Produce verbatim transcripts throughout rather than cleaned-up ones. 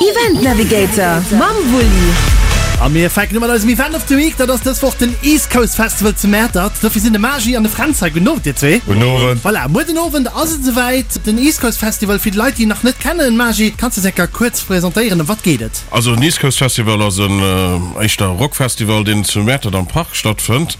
Event Navigator mam Wulli. A mir fänken u mat eisem Event of the Week, dat ass dës Woch den East Coast Festival zu Mäertert. Dofir sinn de Magi an de Fränz hei. Gudden Owend dir zwee. Gudden Owend. Voilà, muer den Owend ass et esouwäit, den East Coast Festival. Fir d'Leit déi en nach net kennen, Magi, kanns de s enker kuerz presentéieren, ëm wat geet et? Also den East Coast Festival ass en éischter Rockfestival, deen zu Mäertert am Park stattfënnt.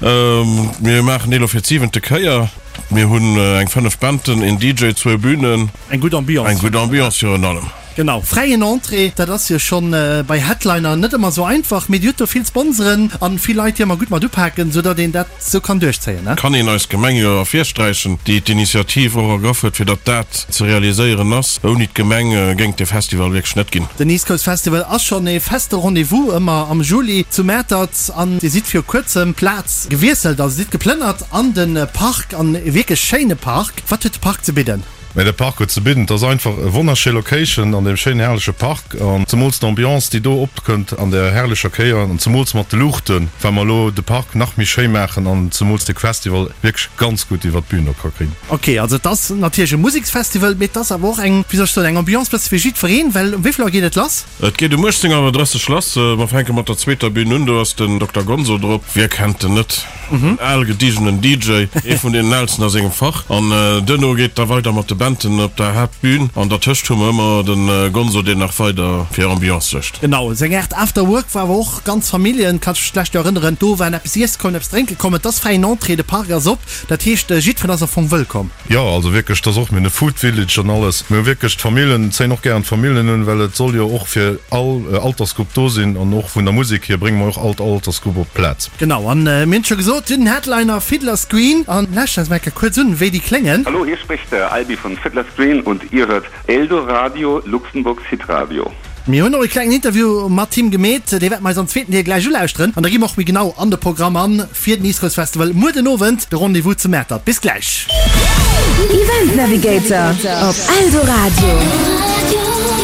Mir maachen dee lo fir d'siwente Kéier. Mir hunn eng fënnef Banden, een D J, zwou Bünen. Eng gutt Ambiance. Eng gutt Ambiance virun allem. Genau, fräien Entrée, dat ass jo schonn bei Headliner net ëmmer sou einfach, mee Dir hutt do vill Sponsoren an vill Leit, déi ëmmer gutt mat upaken, sou datt een dat sou kann duerchzéien, ne? Kann een eis Gemeng jo ervirsträichen, déi d'Initiativ och ergraff huet, fir datt dat ze realiséieren ass. Ouni d'Gemeng géing et dee Festival wierklech net ginn. Den East Coast Festival ass schonn ee feste Rendez-vous ëmmer am Juli zu Mäertert an Dir sidd viru kuerzem d'Plaz gewiesselt, also sidd geplënnert an de Park, an e wierklech schéine Park. Wat huet de Park ze bidden? Mä de Park huet ze bidden, et ass einfach e wonnerschéi Location an deem schéinen herrleche Park an zemools d'Ambiance déi do opkënnt an der herrlecher Kéier an zemools mat de Luuchten, well mer elo de Park nach méi schéi maachen an zemools de Festival wierklech ganz gutt iwwert d'Bühn do ka kréien. Ok, also et ass natierlech e Museksfestival, mee et ass awer och eng, wéi soll ech soen, eng Ambiance bësse fir jiddwereen, well um wéi vill Auer geet et lass? Et geet um uechtzéng Auer drësseg lass. Mer fänke mat der zweeter Bühn un, do ass den Dokter Gonzo drop. Wie kennt en net? En al gediegenen D J, ee vun deenen aalsten a sengem Fach. An duerno geet da weider mat de Banden op der Haaptbühn. An dertëscht hu mer ëmmer de Gonzo, deen nach weider fir Ambiance suergt. Genau, seng Aart After Work war awer och ganz Familljen, kanns dech vläicht jo erënneren, do waren eppes iesse kommen, eppes drénke kommen. Et ass fräien Entrée, de Park ass op, dat heescht jiddwereen ass am Fong wëllkomm. Jo, also wierklech, et ass och, mir hunn e Food Village an alles. Mir hu wierklech d'Famillen, zéien och gären d'Famillen un, well et soll jo och fir all Altersgrupp do sinn. An och vun der Musek hier brénge mer och all Altersgrupp op d'Plaz. Genau, an mir hunn et scho gesot, den Headliner Fiddler's Green. An lauschtert eis mol eng Kéier kuerz un, wéi déi kléngen. Hallo, hier spricht der Albi von Fiddler's Green und ihr hört Eldoradio, Luxemburgs Hitradio. Mir hunn och e klengen Interview mat him gemeet, dee wäerte mer eis am zweeten Deel gläich ulauschteren. An da gi mer och méi genau an de Programm an fir den East Coast Festival muer den Owend, de Rendez-vous zu Mäertert. Bis gläich! Event Navigator op Eldoradio.